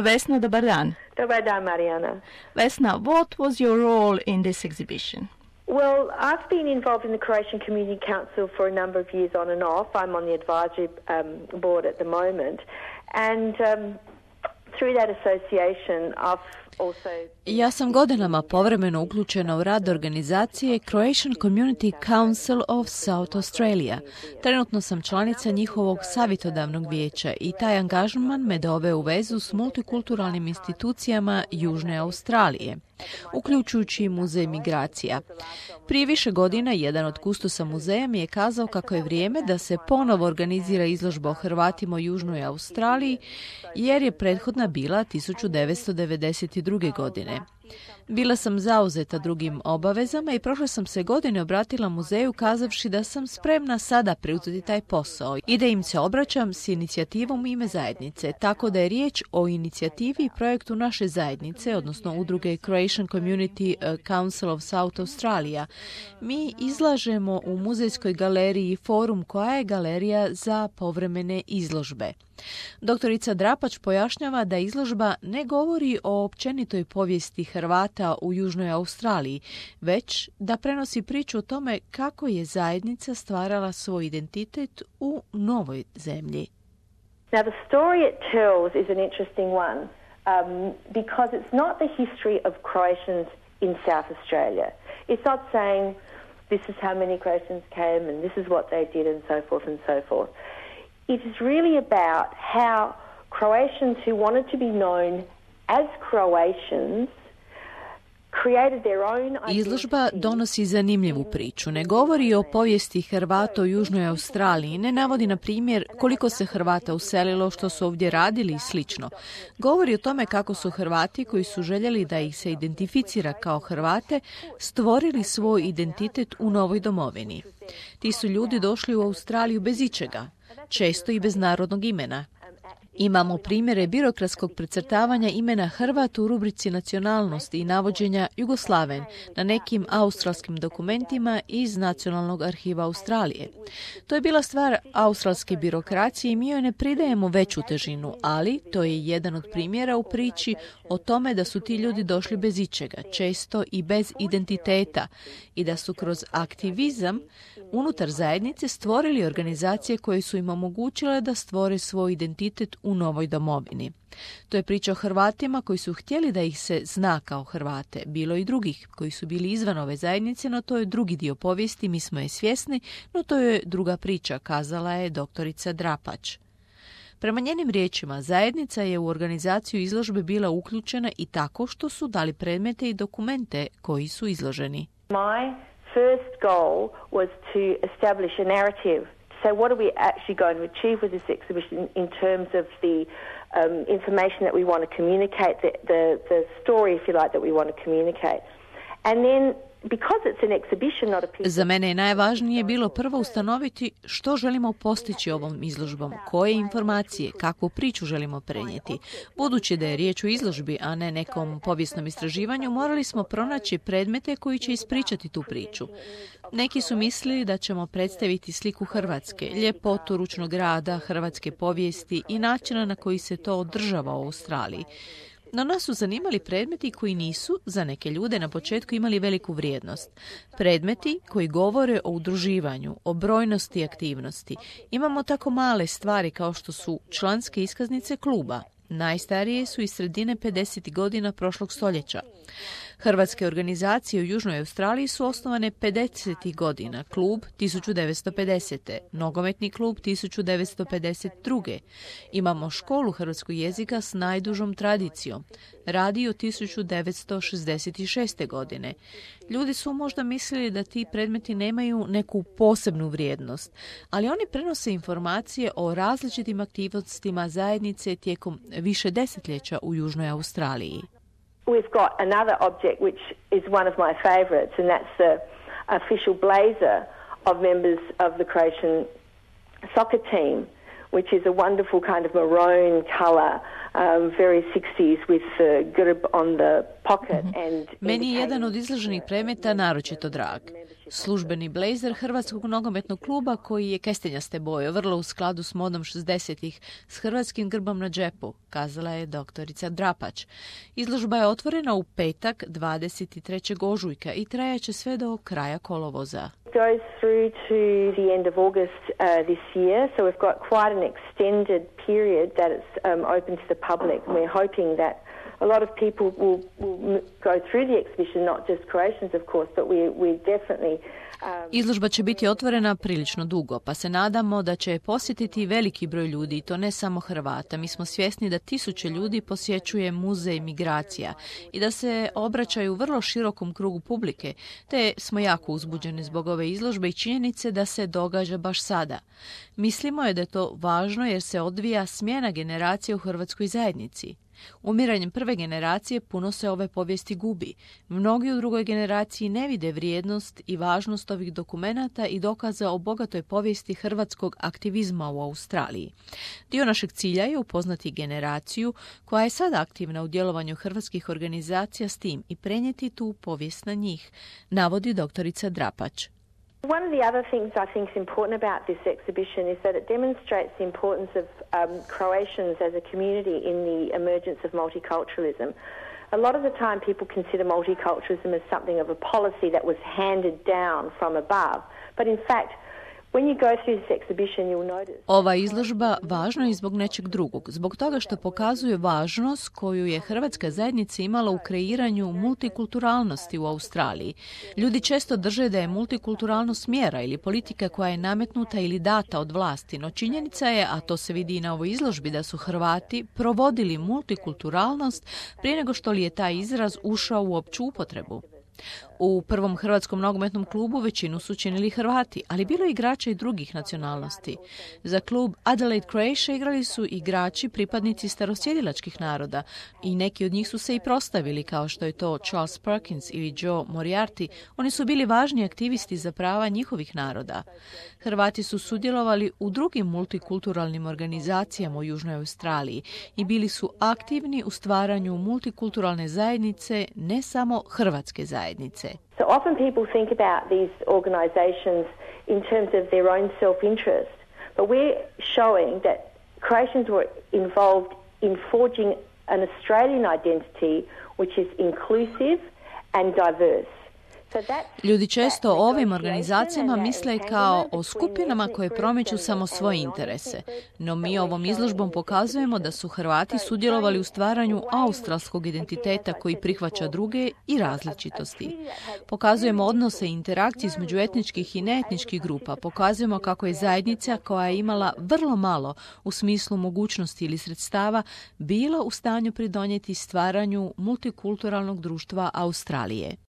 Vesna, dobar dan. Dobar dan, Marijana. Vesna, what was your role in this exhibition? Well, I've been involved in the Croatian Community Council for a number of years on and off. I'm on the advisory board at the moment. And through that association, I've also... Ja sam godinama povremeno uključena u rad organizacije Croatian Community Council of South Australia. Trenutno sam članica njihovog savjetodavnog vijeća i taj angažman me doveo u vezu s multikulturalnim institucijama Južne Australije, uključujući i Muzej migracija. Prije više godina jedan od kustosa muzeja mi je kazao kako je vrijeme da se ponovo organizira izložba o Hrvatima u Južnoj Australiji, jer je prethodna bila 1992. godine. Bila sam zauzeta drugim obavezama i prošle sam se godine obratila muzeju kazavši da sam spremna sada preuzeti taj posao i da im se obraćam s inicijativom u ime zajednice, tako da je riječ o inicijativi i projektu naše zajednice, odnosno udruge Croatian Community Council of South Australia. Mi izlažemo u muzejskoj galeriji Forum, koja je galerija za povremene izložbe. Doktorica Drapač pojašnjava da izložba ne govori o općenitoj povijesti Hrvata u Južnoj Australiji, već da prenosi priču o tome kako je zajednica stvarala svoj identitet u novoj zemlji. Now the story it tells is an interesting one because it's not the history of Croatians in South Australia. It's not saying this is how many Croatians came and this is what they did and so forth and so forth. It is really about how Croatians who wanted to be known as Croatians created their own identity. Izložba donosi zanimljivu priču. Ne govori o povijesti Hrvata u Južnoj Australiji, ne navodi na primjer koliko se Hrvata uselilo, što su ovdje radili i slično. Govori o tome kako su Hrvati koji su željeli da ih se identificira kao Hrvate stvorili svoj identitet u novoj domovini. Ti su ljudi došli u Australiju bez ičega, često i bez narodnog imena. Imamo primjere birokratskog precrtavanja imena Hrvat u rubrici nacionalnosti i navođenja Jugoslaven na nekim australskim dokumentima iz Nacionalnog arhiva Australije. To je bila stvar australske birokracije i mi joj ne pridajemo veću težinu, ali to je jedan od primjera u priči o tome da su ti ljudi došli bez ičega, često i bez identiteta, i da su kroz aktivizam unutar zajednice stvorili organizacije koje su im omogućile da stvore svoj identitet u novoj domovini. To je priča o Hrvatima koji su htjeli da ih se zna kao Hrvate. Bilo i drugih koji su bili izvan ove zajednice, no to je drugi dio povijesti, mi smo je svjesni, no to je druga priča, kazala je doktorica Drapač. Prema njenim riječima, zajednica je u organizaciju izložbe bila uključena i tako što su dali predmete i dokumente koji su izloženi. My first goal was to establish a narrative. So what are we actually going to achieve with this exhibition in terms of the information that we want to communicate, the story, if you like, that we want to communicate. And then because it's an exhibition, not a piece. Za mene je najvažnije bilo prvo ustanoviti što želimo postići ovom izložbom, koje informacije, kakvu priču želimo prenijeti. Budući da je riječ o izložbi, a ne nekom povijesnom istraživanju, morali smo pronaći predmete koji će ispričati tu priču. Neki su mislili da ćemo predstaviti sliku Hrvatske, ljepotu ručnog rada, hrvatske povijesti i načina na koji se to održava u Australiji. No nas su zanimali predmeti koji nisu, za neke ljude, na početku imali veliku vrijednost. Predmeti koji govore o udruživanju, o brojnosti aktivnosti. Imamo tako male stvari kao što su članske iskaznice kluba. Najstarije su iz sredine 50. godina prošlog stoljeća. Hrvatske organizacije u Južnoj Australiji su osnovane 50. godina, klub 1950. Nogometni klub 1952. Imamo školu hrvatskog jezika s najdužom tradicijom, radio 1966. godine. Ljudi su možda mislili da ti predmeti nemaju neku posebnu vrijednost, ali oni prenose informacije o različitim aktivnostima zajednice tijekom više desetljeća u Južnoj Australiji. We've got another object which is one of my favourites, and that's the official blazer of members of the Croatian soccer team, which is a wonderful kind of maroon colour very 60s with the grb on the pocket. Meni je jedan od izloženih predmeta naročito drag. Službeni blejzer Hrvatskog nogometnog kluba koji je kestenjaste boje, vrlo u skladu s modom 60-ih, s hrvatskim grbom na džepu, kazala je doktorica Drapač. Izložba je otvorena u petak 23. ožujka i trajaće sve do kraja kolovoza. Goes through to the end of August this year, so we've got quite an extended period that it's open to the public. We're hoping that a lot of people will go through the exhibition, not just Croatians, of course, but we definitely... Izložba će biti otvorena prilično dugo, pa se nadamo da će posjetiti veliki broj ljudi, i to ne samo Hrvata. Mi smo svjesni da tisuće ljudi posjećuje muzej migracija i da se obraćaju vrlo širokom krugu publike, te smo jako uzbuđeni zbog ove izložbe i činjenice da se događa baš sada. Mislimo je da je to važno jer se odvija smjena generacije u hrvatskoj zajednici. Umiranjem prve generacije puno se ove povijesti gubi. Mnogi u drugoj generaciji ne vide vrijednost i važnost ovih dokumenata i dokaza o bogatoj povijesti hrvatskog aktivizma u Australiji. Dio našeg cilja je upoznati generaciju koja je sada aktivna u djelovanju hrvatskih organizacija s tim i prenijeti tu povijest na njih, navodi doktorica Drapač. One of the other things I think is important about this exhibition is that it demonstrates the importance of Croatians as a community in the emergence of multiculturalism. A lot of the time people consider multiculturalism as something of a policy that was handed down from above, but in fact Ova izložba važna je i zbog nečeg drugog, zbog toga što pokazuje važnost koju je hrvatska zajednica imala u kreiranju multikulturalnosti u Australiji. Ljudi često drže da je multikulturalnost mjera ili politika koja je nametnuta ili data od vlasti, no činjenica je, a to se vidi i na ovoj izložbi, da su Hrvati provodili multikulturalnost prije nego što li je taj izraz ušao u opću upotrebu. U prvom hrvatskom nogometnom klubu većinu su činili Hrvati, ali bilo je igrača i drugih nacionalnosti. Za klub Adelaide Croatia igrali su igrači pripadnici starosjedilačkih naroda i neki od njih su se i prostavili, kao što je to Charles Perkins ili Joe Moriarty. Oni su bili važni aktivisti za prava njihovih naroda. Hrvati su sudjelovali u drugim multikulturalnim organizacijama u Južnoj Australiji i bili su aktivni u stvaranju multikulturalne zajednice, ne samo hrvatske zajednice. So often people think about these organisations in terms of their own self-interest, but we're showing that Croatians were involved in forging an Australian identity which is inclusive and diverse. Ljudi često o ovim organizacijama misle kao o skupinama koje promiču samo svoje interese, no mi ovom izložbom pokazujemo da su Hrvati sudjelovali u stvaranju australskog identiteta koji prihvaća druge i različitosti. Pokazujemo odnose i interakcije između etničkih i neetničkih grupa, pokazujemo kako je zajednica koja je imala vrlo malo u smislu mogućnosti ili sredstava bila u stanju pridonijeti stvaranju multikulturalnog društva Australije.